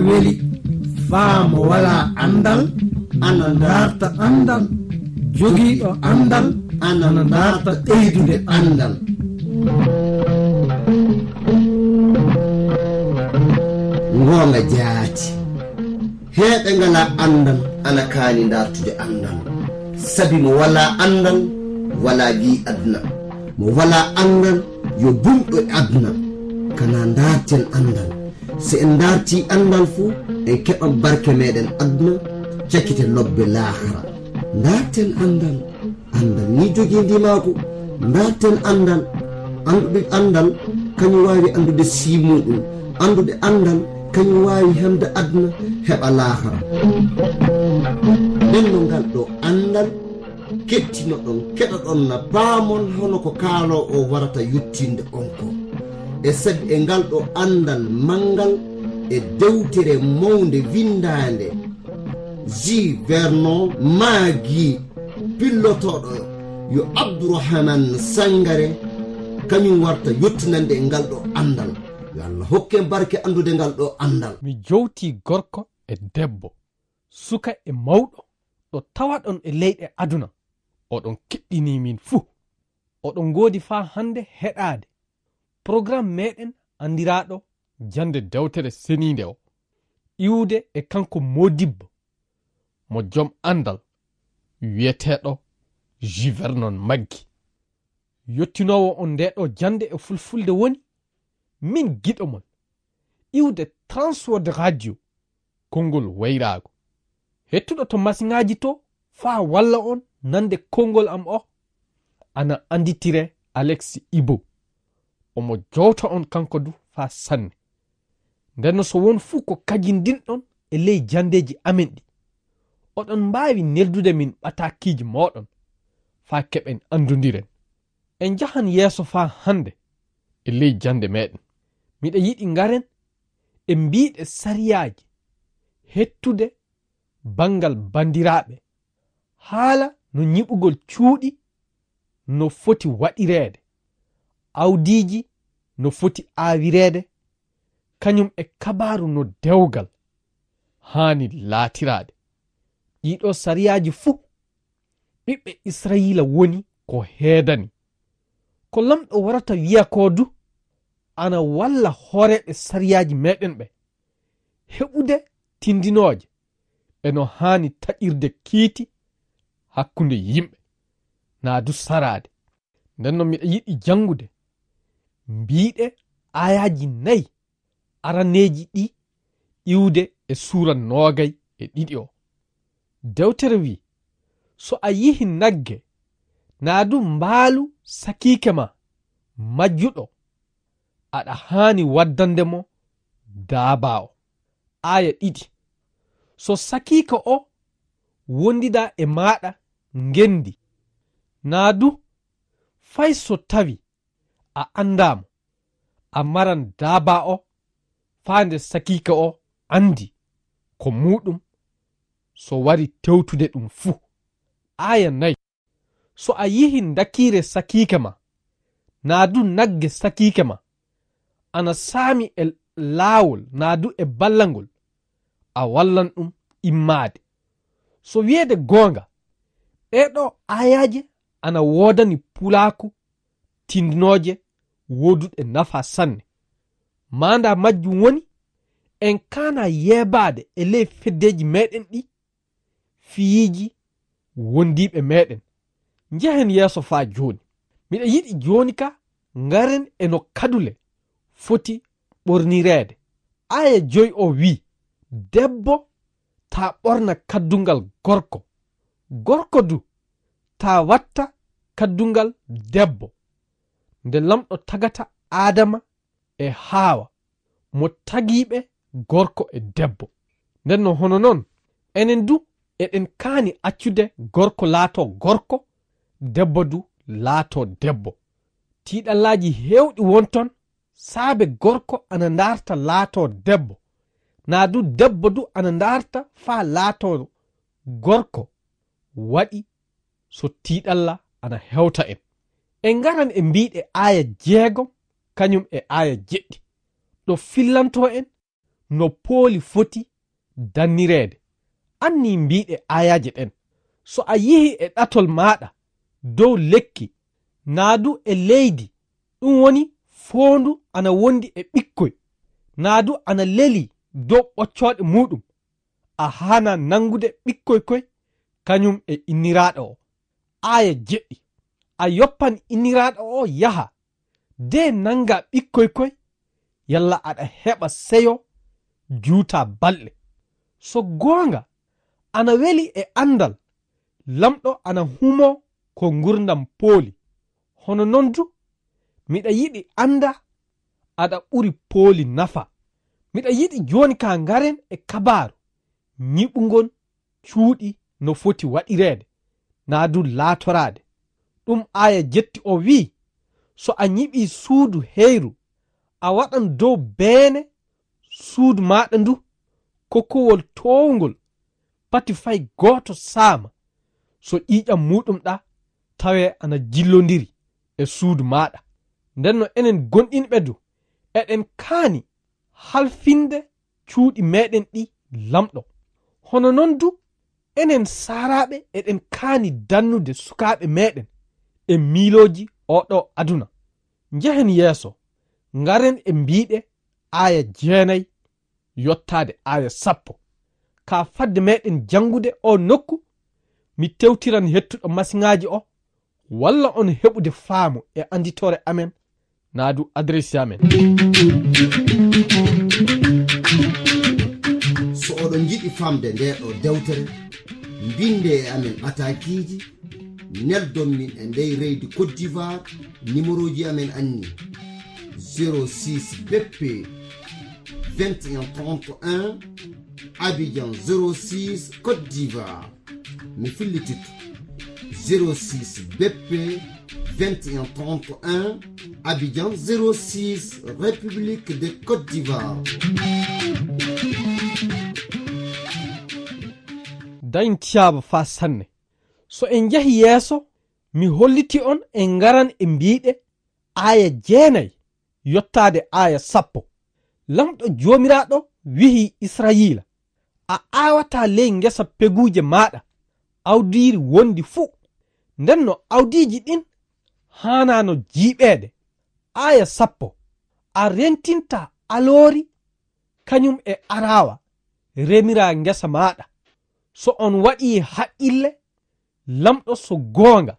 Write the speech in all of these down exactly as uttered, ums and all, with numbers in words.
Weli, faa mo walaa anndal, ana ndaarta anndal. Jogiiɗo anndal, ana ndaarta ɓeydude anndal. Ngoonga jaati. Heeɓe ngalaa anndal, ana kaani ndaartude anndal. Sabi mo walaa anndal, walaa giy aduna. Mo walaa anndal, yo bumɗo e aduna. Kana ndaarten anndal. So en ndaartii anndal fu, en keɓan barke meɗen aduna, cakite lobbe laahara. Ndaarten anndal. Anndal ni jogii ndimaagu. Ndaarten anndal. Anndude anndal, kañum waawi anndude sii muɗum. Anndude anndal, kañum waawi heɓde aduna, heɓa laahara. Nden no ngal ɗo anndal, kettinoɗon, keɗoɗon na paamon hono ko kaaloowo o warata yettinde on ko. E sabi e ngal ɗo anndal manngal e dewtere mawnde winndaande, J. Vernon Maggi, pillotooɗo yo Abdourahmane Sangare, kañum warta yettinande e ngal ɗo anndal. Yo Allah hokke en barke anndude ngal ɗo anndal. Mi jowtii gorko e debbo, suka e mawɗo, ɗo tawaɗon e leyɗe aduna. Oɗon keɗɗinii min fuu. Oɗon ngoodi faa hannde heɗaade programme meɗen anndiraaɗo Jannde Dewtere Seniinde o, iwde e kanko moodibbo mo jom anndal wiyeteeɗo J. Vernon Maggi. Yottinoowo on nde ɗo jannde e fulfulde woni min giɗo mon, iwde Transworld Radio, konngol wayraago. Hettuɗo to masiŋaaji to faa walla on nande konngol am o, ana annditire Alex Ibo. Omo jowta on kanko du faa sanne. Nden no so won fuu ko kajindinɗon e ley janndeeji amen ɗi, oɗon mbaawi neldude min ɓataakiiji mooɗon faa keɓen anndondiren. En njahan yeeso faa hannde e ley jannde meɗen. Miɗa yiɗi ngaren e mbiiɗe sariyaaji hettude banngal banndiraaɓe, haala no nyiɓugol cuuɗi no foti waɗireede, awdiiji no foti aawireede, kañum e kabaaru no dewgal haani laatiraade. Ɗiɗo sariyaaji fuu, ɓiɓɓe Israyiila woni ko heedani. Ko Laamɗo warata wiya ko du, ana walla hooreeɓe sariyaaji meɗen ɓe heɓude tindinooje e no haani taƴirde kiiti hakkunde yimɓe, naa du saraade. Nden no miɗa yiɗi janngude mbiiɗe aayaaji nayi araneeji ɗi iwde e suura noogay e ɗiɗi o. Dewtere wi'i, so a yihi nagge, naa du mbaalu sakiike ma majjuɗo, aɗa haani waddande mo daabaa o. Aaya ɗiɗi, so sakiike o wondida e maaɗa ngenndi, naa du fay so tawi a anndaa mo, a maran daabaa o faa nde sakiike o anndi ko muuɗum, so wari tewtude ɗum fuu. Aaya nayi, so a yihi ndakiire sakiike ma, naa du nagge sakiike ma, ana saami e laawol naa du e ballangol, a wallan ɗum immaade. So wiyeede goonga, ɗee ɗoo aayaaje ana woodani pulaaku tindinooje wooduɗe nafa sanne. Maandaa majjum woni, en kaana yeebaade e ley feddeeji meɗen ɗi fiyiiji wondiiɓe meɗen. Njehen yeeso faa jooni. Miɗa yiɗi jooni ka ngaren e no kadule foti ɓornireede. Aaya joy o wi'i, debbo taa ɓorna kaddungal gorko, gorko du taa watta kaddungal debbo. Nde Laamɗo tagata Aadama e Haawa, mo tagiiɓe gorko e debbo. Nden no hono non, enen du eɗen kaani accude gorko laatoo gorko, debbo du laatoo debbo. Tiiɗallaaji heewɗi won ton saabe gorko ana ndaarta laatoo debbo, naa du debbo du ana ndaarta faa laatoo gorko, waɗi so tiiɗalla ana hewta en. En ngaran e mbiiɗe aaya jeegom kañum e aaya jeɗɗi, ɗo fillantoo en no pooli foti dannireede. Anni mbiɗe aayaaje ɗen. So a yihi e ɗatol maaɗa dow lekki, naa du e leydi, ɗum woni foondu ana wondi e ɓikkoy, naa du ana leli dow ɓoccooɗe muuɗum, a haana nanngude ɓikkoy koy, kañum e inniraaɗo o. Aaya jeɗɗi. A yoppan inniraaɗo o yaha, de nannga ɓikkoy koy, yalla aɗa heɓa seyo juuta balɗe. So goonga, ana weli e anndal, lamɗo ana humo ko ngurdam pooli. Hono non du, miɗa yiɗi annda aɗa ɓuri pooli nafa. Miɗa yiɗi jooni ka ngaren e kabaaru ñiɓungol cuuɗi no foti waɗireede, naa du laatoraade. Ɗum aaya jetti o wi'i, so a ñiɓii suudu heyru, a waɗan dow beene suudu maaɗa ndu kokkowol toowngol, pati fay gooto saama, so ƴiiƴam muuɗum ɗa tawee ana jillondiri e suudu maaɗa. Nden no enen gonɗinɓe du, eɗen kaani halfinde cuuɗi meɗen ɗi lamɗo. Hono non du, enen saaraaɓe eɗen kaani dannude sukaaɓe meɗen e miilooji oɗo aduna. Njehen yeeso, ngaren e mbiɗe aaya jeenay yottaade aaya sappo. Ka fadde meɗen janngude o nokku, mi tewtiran hettuɗo masiŋaaji o, walla on heɓude faamu e annditoore amen, naa du adresse amen. So oɗon njiɗi famde nde ɗo dewtere, mbinde e amen ɓatakiiji, neldon min e ndey reydi Côte d'Ivoire, numéroji amen anni: zéro six B P vingt et un trente et un, Abidjan zéro six, Côte d'Ivoire. Mi fillititto: zéro six B P vingt et un trente et un, Abidjan zéro six, République de Côte d'Ivoire. Dañtiyaaba fa sanne. So en njahi yeeso, mi holliti on e ngaran e mbiɗe aaya jeenay yottaade aaya sappo. Lamɗo Joomiraaɗo wi'i Israyiila: "A aawataa ley ngesa peguuje maaɗa awdiiri wondi fuu." Nden no awdiiji ɗin haanaano jiiɓeede. Aaya sappo: "A rentintaa aloori kañum e araawa remiraa ngesa maaɗa." So on waɗii haqqille, lamɗo so goonga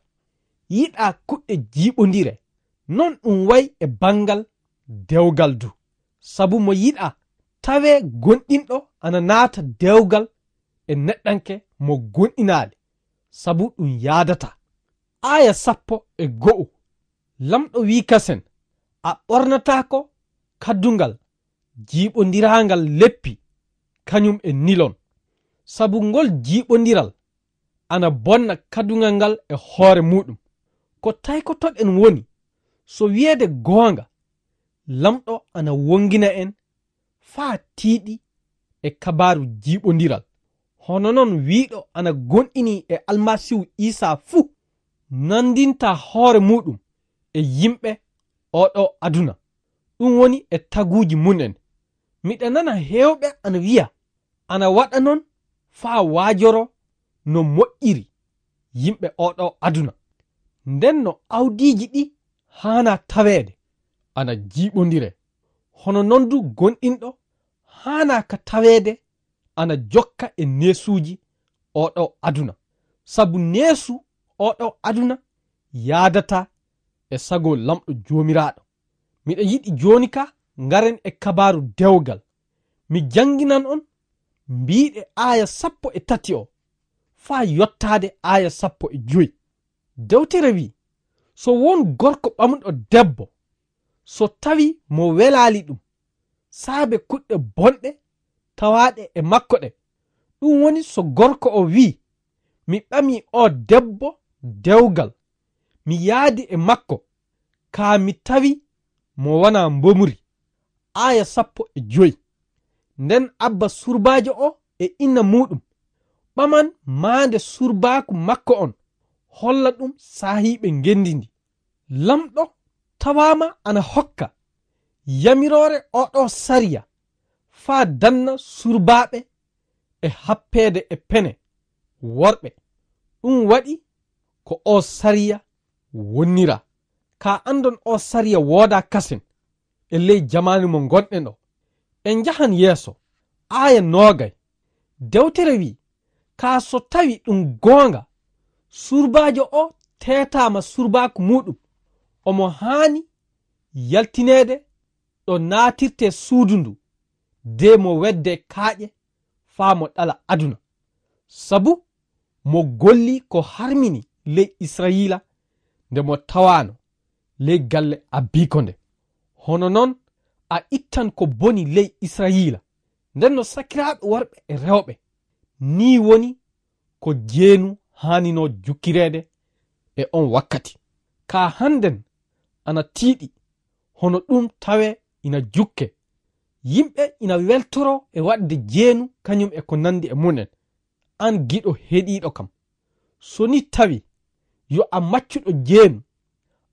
yiɗaa kuɗɗe jiiɓondire, non ɗum wayi e banngal dewgal du. Sabu mo yiɗaa tawee gonɗinɗo ana naata dewgal e neɗɗanke mo gonɗinaali, sabu ɗum yaadataa. Aaya sappo e go'o, lamɗo wi'i kasen: "A ɓornataako kaddungal jiiɓondiraangal leppi, kañum e nilon, sabu ngol jiiɓondiral ana bonna kaddungal ngal e hoore muuɗum." Ko taykotoɗen woni, so wiyeede goonga, lamɗo ana wongina en faa tiiɗi e kabaaru jiiɓondiral. Hono non wiiɗo ana gonɗini e Almasiihu Iisaa fuu nandinta hoore muuɗum e yimɓe oɗo aduna, ɗum woni e taguuji mum en. Miɗa nana heewɓe ana wiya ana waɗa non faa waajoro no moƴƴiri yimɓe oɗo aduna. Nden no awdiiji ɗi haanaa taweede ana jiiɓondire. Hono non du gonɗinɗo haanaa ka taweede ana jokka e neesuuji oɗo aduna. Sabu neesu oɗo aduna yaadataa e sago Lamɗo Joomiraaɗo. Miɗa yiɗi jooni ka ngaren e kabaaru dewgal. Mi jannginan on mbiiɗe aaya sappo e tati o faa yottaade aaya sappo e joy. Dewtere wi'i: "So won gorko ɓamuɗo debbo, so tawi mo welaali ɗum, saabe kuɗɗe bonɗe tawaaɗe e makko ɗe, ɗum woni so gorko o wi'i, 'Mi ɓami o debbo dewgal, mi yaadi e makko, kaa mi tawi mo wonaa mbomuri.'" Aaya sappo e joy. Nden abba surbaajo o e inna muuɗum, ɓaman maande surbaaku makko on, holla ɗum saahiiɓe ngenndi ndi. Lamɗo tawaama ana hokka yamiroore oɗo sariya faa danna surbaaɓe e happeede e pene worɓe. Ɗum waɗi ko oo sariya wonnira. Kaa anndon oo sariya woodaa kasen e ley jamaanu mo ngonɗen o. En njahan yeeso. Aaya noogay. Dewtere wi'i, kaa so tawi ɗum goonga, surbaajo o teetaama surbaaku muuɗum, omo haani yaltineede ɗo naatirtee suudu ndu, de mo weddee kaaƴe faa mo ɗala aduna. Sabu mo golli ko harmini ley Israayiila nde mo tawaano ley galle abbiiko nde. Hono noon a ittan ko boni ley Israayiila. Nden no sakiraaɓe worɓe e rewɓe, nii woni ko jeenu haaninoo jukkireede e on wakkati. Kaa hannden ana tiiɗi, hono ɗum tawee ina jukke. Yimɓe ina weltoroo e waɗde jeenu kañum e ko nanndi e mum en. Aan giɗo heɗiiɗo kam, so ni tawi yo a maccuɗo jeenu,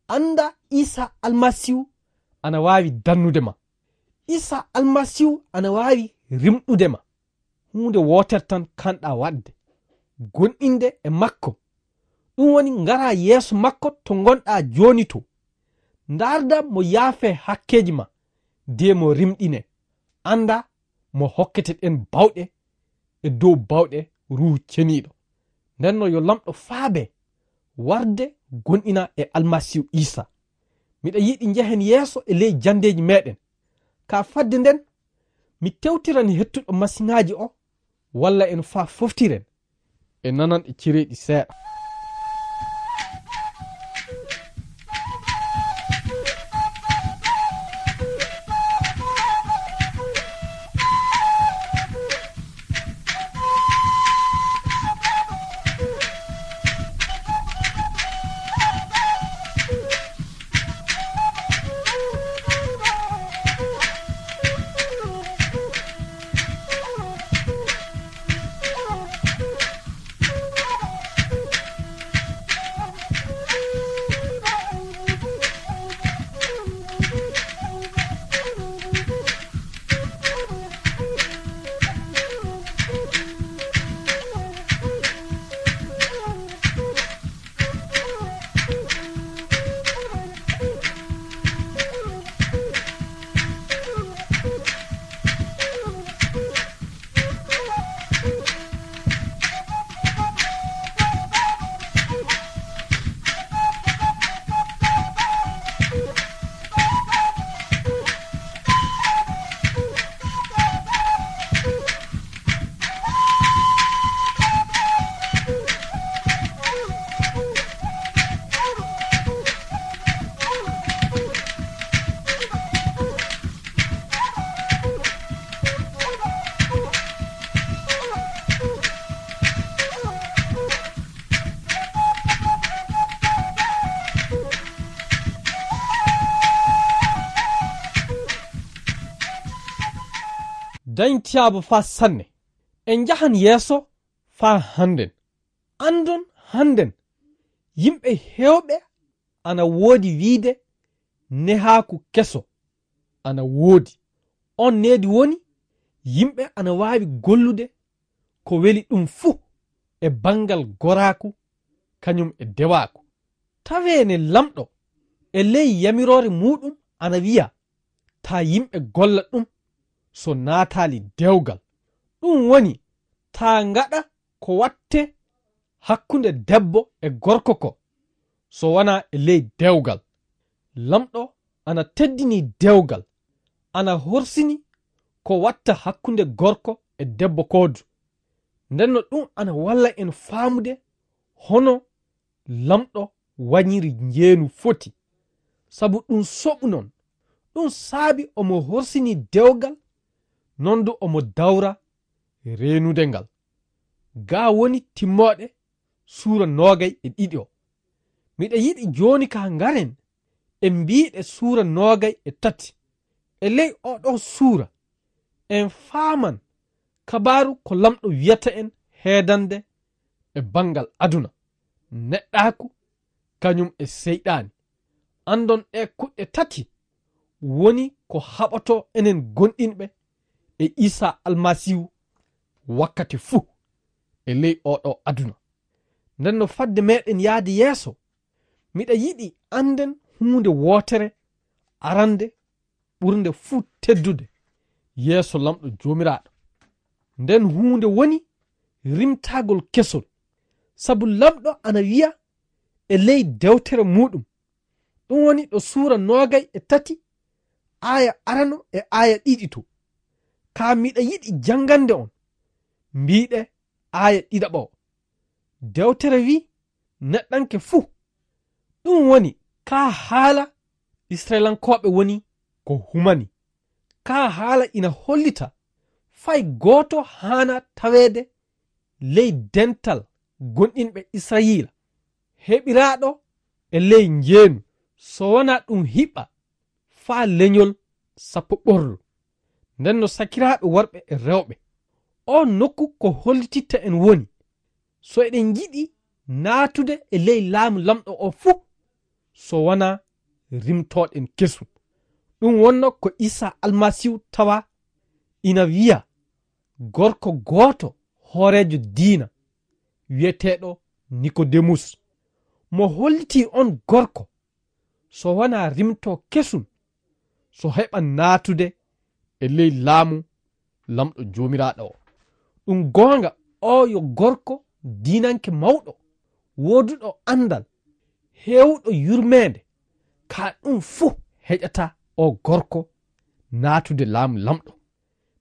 annda Iisaa Almasiihu ana waawi dannude ma. Iisaa Almasiihu ana waawi rimɗude ma. Huunde wootere tan kanɗaa waɗde, gonɗinde e makko. Ɗum woni ngaraa yeeso makko to ngonɗaa jooni to. Ndaardaa mo yaafee hakkeeji ma, de mo rimɗinee. Anndaa mo hokkete ɗeen bawɗe e dow bawɗe Ruuhu Ceniiɗo. Nden no yo Laamɗo faabe warde gonɗina e Almasiihu Iisaa. Miɗa yiɗi njehen yeeso e ley janndeeji meeɗen. Kaa fadde nden, mi tewtirani hettuɗo masiŋaaji o, walla en faa foftiren e nananɗe cereeɗi seeɗa. Dañtiyaabu faa sanne. En njahan yeeso faa hannden. Anndon hannden, yimɓe heewɓe ana woodi wiide nehaaku keso ana woodi. On needi woni yimɓe ana waawi gollude ko weli ɗum fuu e banngal goraaku kañum e dewaaku. Tawee ne Laamɗo e ley yamiroore muuɗum ana wiya taa yimɓe golla ɗum so naataali dewgal. Ɗum woni taa ngaɗa ko watte hakkunde debbo e gorko ko so wanaa e ley dewgal. Laamɗo ana teddini dewgal, ana horsini ko watta hakkunde gorko e debbo koodu. Ndenno ɗum ana walla en faamude hono Laamɗo wañiri njeenu foti. Sabu ɗum soɓu non, ɗum saabi omo horsini dewgal, non du omo dawra reenude ngal. Gaa woni timmooɗe suura noogay e ɗiɗi o. Miɗa yiɗi jooni ka ngaren e mbiiɗe suura noogay e tati. E ley oɗo suura, en faaman kabaaru ko Laamɗo wiyata en heedande e banngal aduna, neɗɗaaku, kañum e seyɗaani. Anndon ɗe kuɗɗe tati woni ko haɓoto enen gonɗinɓe e Iisaa Almasiihu wakkati fuu e ley oo ɗoo aduna. Nden no fadde meɗen yaade yeeso, miɗa yiɗi annden huunde wootere arande ɓurnde fuu teddude yeeso Laamɗo Joomiraaɗo. Nden huunde woni rimtaagol kesol, sabu Laamɗo ana wiya e ley dewtere muuɗum, ɗum woni ɗo suura noogay e tati, aaya arano e aaya ɗiɗi to. Kaa miɗa yiɗi janngande on, mbiiɗe aaya ɗiɗaɓo o. Dewtere wi'i, "Neɗɗanke fuu." Ɗum woni, kaa haala Isra'ilankooɓe woni ko humani. Kaa haala ina hollita fay gooto haana taweede ley dental gonɗinɓe Israyiila, heɓiraaɗo e ley njeenu, so wanaa ɗum hiɓɓa faa leñol sappo ɓorlo. Nden no sakiraaɓe worɓe e rewɓe, oo nokku ko hollititta en woni, so eɗen njiɗi naatude e ley laamu Laamɗo o fuu, so wanaa rimtooɗen kesum. Ɗum wonno ko Iisaa Almasiihu tawa ina wiya gorko gooto hooreejo diina wi'eteeɗo Nikodemus, mo hollitii on gorko so wanaa rimtoo kesum, so heɓa naatude e ley laamu Laamɗo Joomiraaɗo o. Ɗum goonga, oo yo gorko diinanke mawɗo, wooduɗo anndal, heewuɗo yurmeende, kaa ɗum fuu heƴataa oo gorko naatude laamu Laamɗo.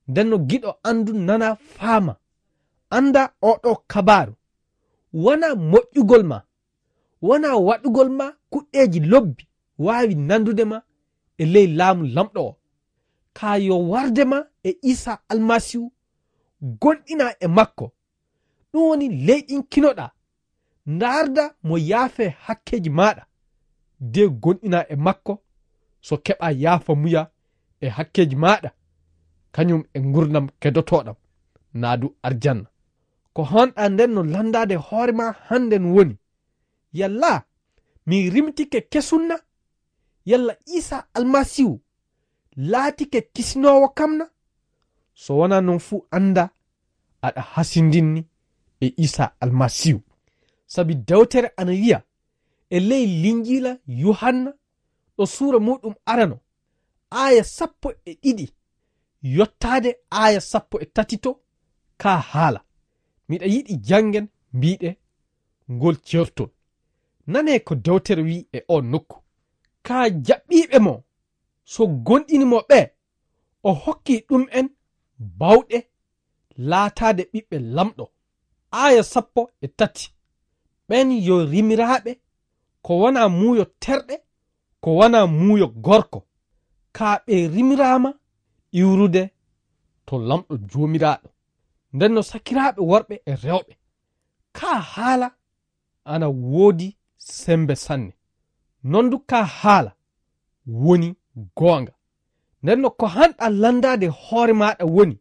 Nden no giɗo anndu nana faama, annda oo ɗoo kabaaru, wanaa moƴƴugol ma, wanaa waɗugol ma kuɗɗeeji lobbi waawi nandude ma e ley laamu Laamɗo o. Kaa yo warde ma e Iisaa Almasiihu, gonɗinaa e makko. Ɗum woni leyɗinkinoɗaa, ndaarda mo yaafee hakkeeji maaɗa, de gonɗinaa e makko, so keɓaa yaafamuya e hakkeeji maaɗa, kañum e ngurndan kedotooɗan, naa du arjanna. Ko haanɗaa nden no lanndaade hoore maa hannden woni, yalla mi rimtike kesum na? Yalla Iisaa Almasiihu laatike kisinoowo kam na? So wanaa non fuu annda aɗa hasindinni e Iisaa Almasiihu. Sabi dewtere ana wiya e ley Linjiila Yuhanna ɗo suura muuɗum arano, aaya sappo e ɗiɗi yottaade aaya sappo e tati to, kaa haala. Miɗa yiɗi janngen mbiiɗe ngol ceertol. Nanee ko dewtere wi'i e oo nokku. Kaa jaɓɓiiɓe mo, so gonɗini mo ɓee, o hokki ɗum'en baawɗe laataade ɓiɓɓe Laamɗo. Aaya sappo e tati. Ɓen yo rimiraaɓe ko wanaa muuyo terɗe, ko wanaa muuyo gorko, kaa ɓe rimiraama iwrude to Laamɗo Joomiraaɗo. Nden no sakiraaɓe worɓe e rewɓe, kaa haala ana woodi semmbe sanne. Non du kaa haala woni goonga. Nden no ko haanɗaa lanndaade hoore maaɗa woni,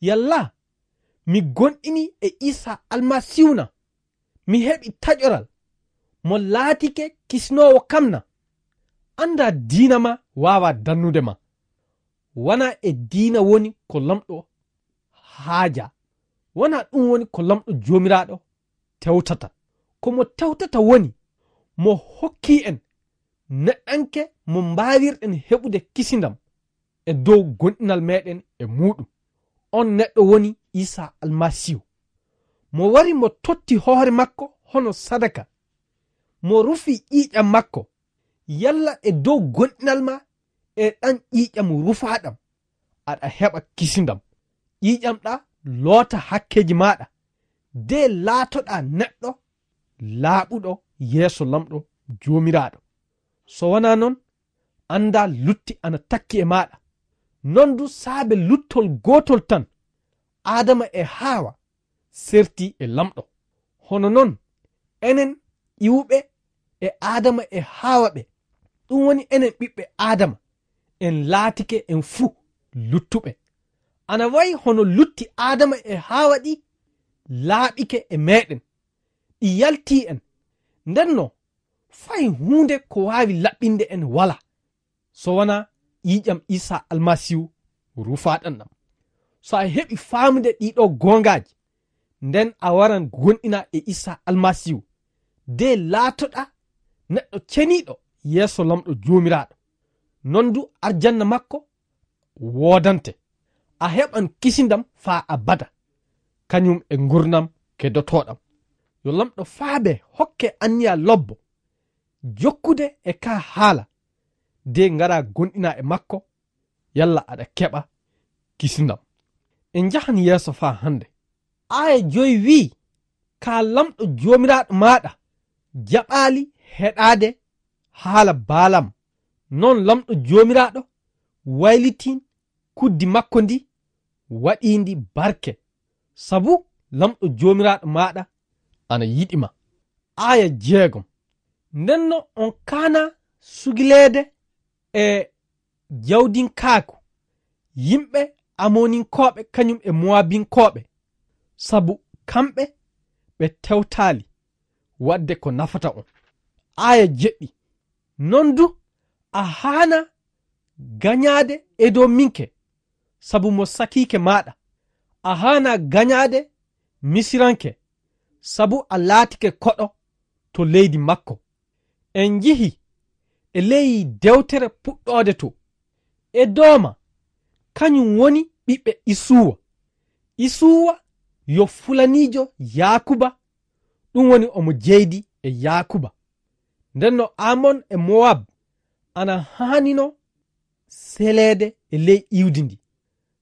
yalla mi gonɗini e Iisaa Almasiihu na? Mi heɓi taƴoral, mo laatike kisinoowo kam na? Anndaa diina maa waawaa dannude ma. Wanaa e diina woni ko Laamɗo haajaa. Wanaa ɗum woni ko Laamɗo Joomiraaɗo tewtata. Ko mo tewtata woni mo hokki en neɗɗanke mo mbaawirɗen heɓude kisindam e dow gonɗinal meeɗen e muuɗum. On neɗɗo woni Iisaa Almasiihu. Mo wari mo totti hoore makko hono sadaka. Mo rufi ƴiiƴam makko. Yalla e dow gonɗinal maa e ɗam ƴiiƴam rufaaɗam, aɗa heɓa kisindam. Ƴiiƴam ɗaa loota hakkeeji maaɗa, de laatoɗaa neɗɗo laaɓuɗo yeeso Laamɗo Joomiraaɗo. So wanaa non, anndaa lutti ana takki e maaɗa. Non du saabe luttol gootol tan, Aadama e Haawa serti e Laamɗo. Hono non, enen iwuɓe e Aadama e Haawa ɓe, ɗum woni enen ɓiɓɓe Aadama, en laatike en fuu luttuɓe. Ana wayi hono lutti Aadama e Haawa ɗi laaɓike e meeɗen, ɗi yaltii en. Ndenno, fay huunde ko waawi laɓɓinde en walaa, so wanaa ƴiiƴam Iisaa Almasiihu rufaaɗam ɗam. So a heɓi faamude ɗiɗo goongaaji, nden a waran gonɗina e Isa Almasiihu, de laatoɗa neɗɗo ceniiɗo yeeso Lamɗo Joomiraaɗo. Non du arjanna makko woodante. A heɓan kisindam faa abada, kañum e ngurnam kedotoɗam. Yo Lamɗo faabe hokke anniya lobbo, jokkude e ka haala, de ngara gonɗina e makko, yalla aɗa keɓa kisindam. En njahan yeeso faa hannde. Aaya joy wi'i, ka Lamɗo Joomiraaɗo maaɗa jaɓaali heɗaade haala Baalam. Non Lamɗo Joomiraaɗo waylitin kuddi makko ndi, waɗiindi barke, sabu Lamɗo Joomiraaɗo maaɗa ana yiɗi ma. Aaya jeegom. Ndenno on kaana sugileede e jawdinkaaku yimɓe Amoninkooɓe kañum e Mowabinkooɓe, sabu kamɓe ɓe tewtaali waɗde ko nafata on. Aaya jeɗɗi. Non du a haana gañaade Edominke, sabu mo sakiike maaɗa. A haana gañaade Misiranke, sabu a laatike koɗo to leydi makko. En njihi e ley dewtere Puɗɗoode to, Edooma, kañum woni ɓiɓɓe Isuwa. Isuwa yo fulaniijo Yaakuba, ɗum woni omo jeydi e Yaakuba. Ndenno Amon e Mowab ana haanino seleede e ley iwdi ndi.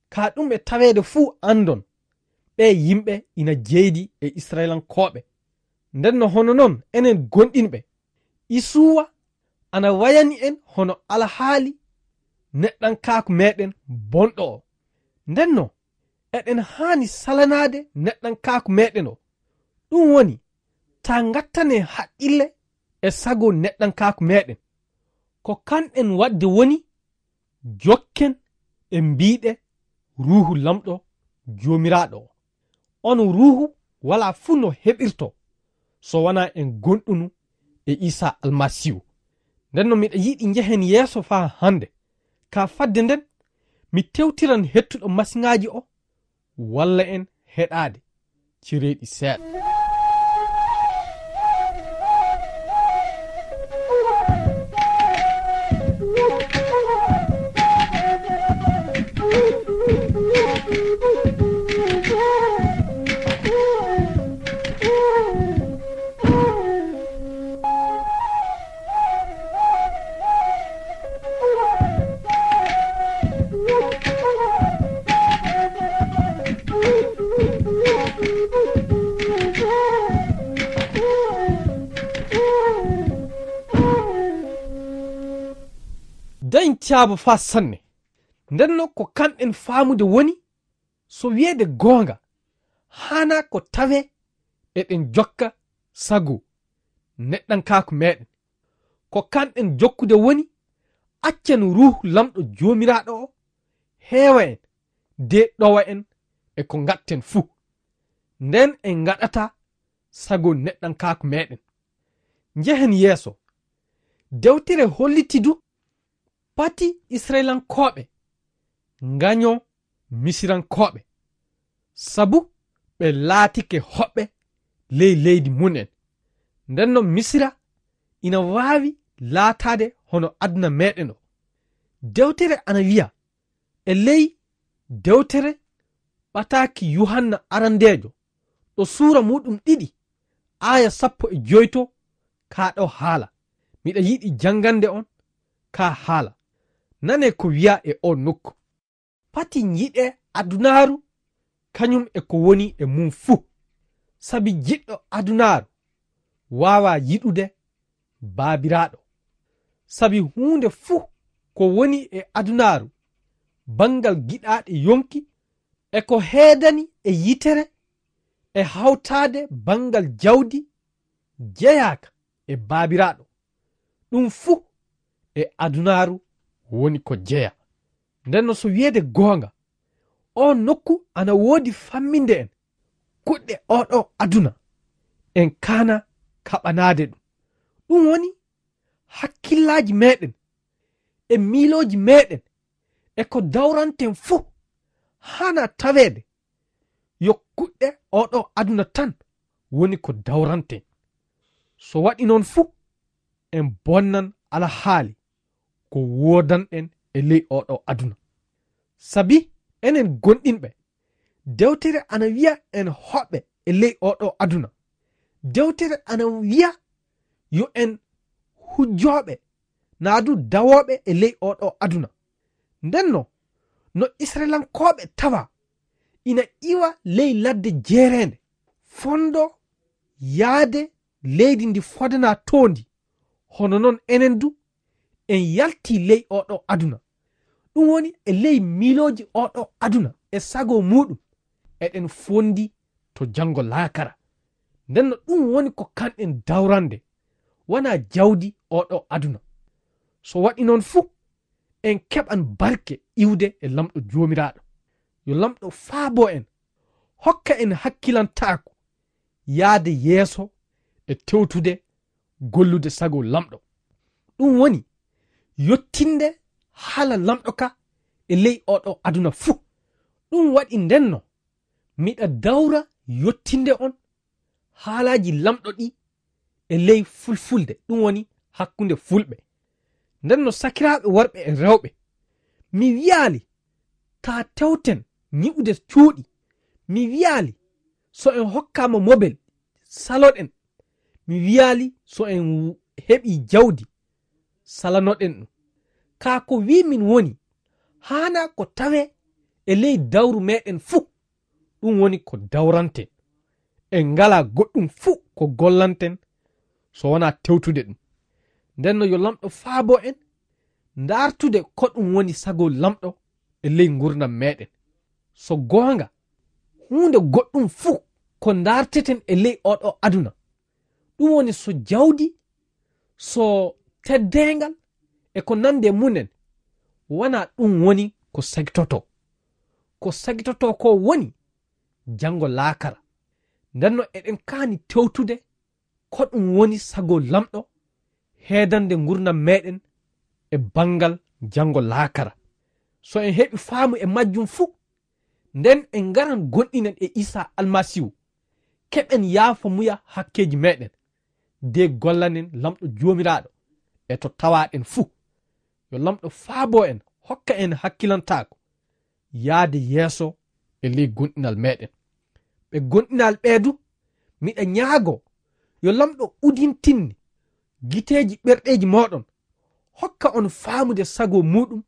Ka ɗum e taweede fuu anndon, ɓee yimɓe ina jeydi e Isra'ilankooɓe. Ndenno hono non enen gonɗinɓe, Isuwa ana wayani en hono alhaali neɗɗankaaku meeɗen bonɗo o. Ndenno eɗen haani salanaade neɗɗankaaku meeɗen o. Ɗum woni, taa ngattane haqqille e sago neɗɗankaaku meeɗen. Ko kanɗen waɗde woni, jokken e mbiɗe Ruuhu Lamɗo Joomiraaɗo o. On Ruuhu walaa fuu no heɓirto so wanaa en gonɗunu e Iisaa Almasiihu. Nden no miɗa yiɗi njehen yeeso faa hannde. Ka fadde nden, mi tewtiran hettuɗo masiŋaaji o walla en heɗaade cereeɗi seeɗa. Dañ caaba faa sanne. Nden no ko kanɗen faamude woni, so wiyeede goonga, haanaa ko tawee eɗen jokka sago neɗɗankaaku meeɗen. Ko kanɗen jokkude woni, accen Ruuhu Lamɗo Joomiraaɗo o heewa en, de ɗowa en e ko ngaɗten fuu. Nden en ngaɗata sago neɗɗankaaku meeɗen. Njehen yeeso. Dewtere holliti du pati Isra'ilankooɓe ngaño Misirankooɓe, sabu ɓe laatike hoɓɓe ley leydi mum en. Nden non Misira ina waawi laataade hono aduna meeɗen o. Dewtere ana wiya e ley dewtere ɓataaki Yuhanna arandeejo, ɗo suura muuɗum ɗiɗi, aaya sappo e joy to, kaa ɗo haala. Miɗa yiɗi janngande on kaa haala. Nanee ko wiyaa e oo nokku. Pati njiɗee adunaaru kañum e ko woni e mum fuu. Sabi jiɗɗo adunaaru waawaa yiɗude Baabiraaɗo. Sabi huunde fuu ko woni e adunaaru, banngal giɗaaɗe yonki, e ko heedani e yitere, e hawtaade banngal jawdi, jeyaaka e Baabiraaɗo. Ɗum fuu e adunaaru woni ko jeyaa. Nden no so wiyeede goonga, oo nokku ana woodi famminde en kuɗɗe ooɗoo aduna, en kaana kaɓanaade ɗum. Ɗum woni hakkillaaji meeɗen e miilooji meeɗen e ko dawranten fuu Hana taweede yo kuɗɗe oɗo aduna tan woni ko dawranten. So waɗi noon fuu, en bonnan alhaali ko woodanɗen e ley oɗo aduna. Sabi enen gonɗinɓe, dewtere ana wiya en hoɓɓe e ley oɗo aduna. Dewtere ana wiya yo en hujjooɓe, naa du dawooɓe e ley oɗo aduna. Ndenno, no Israelankooɓe tawa ina iwa ley ladde jeereende, fondo yaade leydi ndi fodana toondi, hono noon enen du en yalti ley oɗo aduna. Ɗum woni e ley miilooji oɗo aduna e sago muuɗum, eɗen fondi to janngo laakara. Ndenno ɗum woni ko kanɗen dawrande, wona jawdi oɗo aduna. So waɗi noon fuu, en keɓan barke iwde e Lamɗo Joomiraaɗo. Yo Lamɗo faabo en, hokka en hakkilantaaku, yaade yeeso e tewtude gollude sago Lamɗo. Ɗum woni yottinde haala Lamɗo ka e ley oɗo aduna fuu. Ɗum waɗi ndenno, miɗa dawra yottinde on haalaaji Lamɗo ɗi e ley fulfulde, ɗum woni hakkunde fulɓe. Ndenno sakiraaɓe worɓe e rewɓe, mi wiyaali ta tewten ñi'ude cuuɗi. Mi wiyaali so en hokkaama mobel, saloɗen. Mi wiyaali so en heɓi jawdi, salanoɗen ɗum. Kaa ko wii min woni, haana ko tawee e ley dawru meɗen fuu, ɗum woni ko dawranten. En ngalaa goɗɗum fuu ko gollanten so wonaa tewtude ɗum. Ndenno yo Lamɗo faabo en, ndaartude ko ɗum woni sago Lamɗo e ley ngurndan meɗen. So goonga, huunde goɗɗum fuu ko ndaarteten e ley oɗo aduna, ɗum woni so jawdi, so teddeengal e ko nandi e mumen, wonaa ɗum woni ko sagitotoo. Ko sagitotoo ko woni janngo laakara. Ndenno eɗen kaani tewtude ko ɗum woni sago Lamɗo heedande ngurndan meɗen e banngal janngo laakara. So en heɓi faamu e majjum fuu, nden en ngaran gonɗinen e Iisaa Almasiihu, keɓen yaafamuya hakkeeji meɗen, de gollanen Lamɗo Joomiraaɗo e to tawaaɗen fuu. Yo Lamɗo faabo en, hokka en hakkilantaaku, yaade yeeso e ley gonɗinal meɗen. Ɓe gonɗinal ɓee du, miɗa ñaago yo Lamɗo udintinni giteeji ɓerɗeeji mooɗon, hokka on faamude sago muuɗum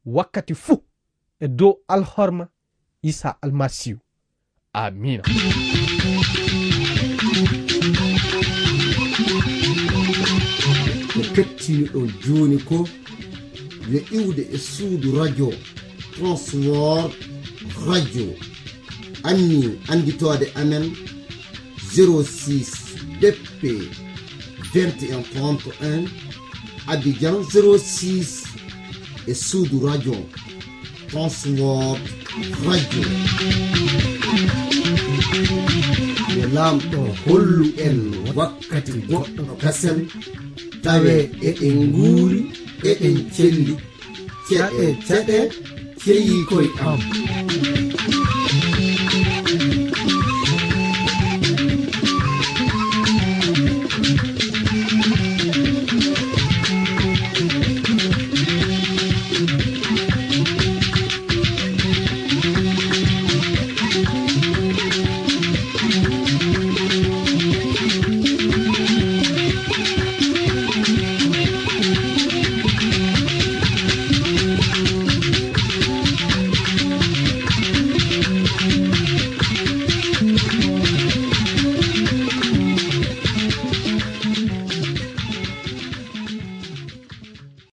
wakkati fuu e dow alhorma Iisaa Almasiihu. Amiina. Ko kettiniɗon jooni ko yo iwde e suudu radio Transworld Radio. Anni annditoode amen zéro six B P vingt et un trente et un, Abidjan zéro six, e suudu radio Transworld Radio. Yo Laamɗo hollu en wakkati goɗɗo kasen, tawe eɗen nguuri, eɗen celli. Ceɗe, ceɗe, ceyi koy am.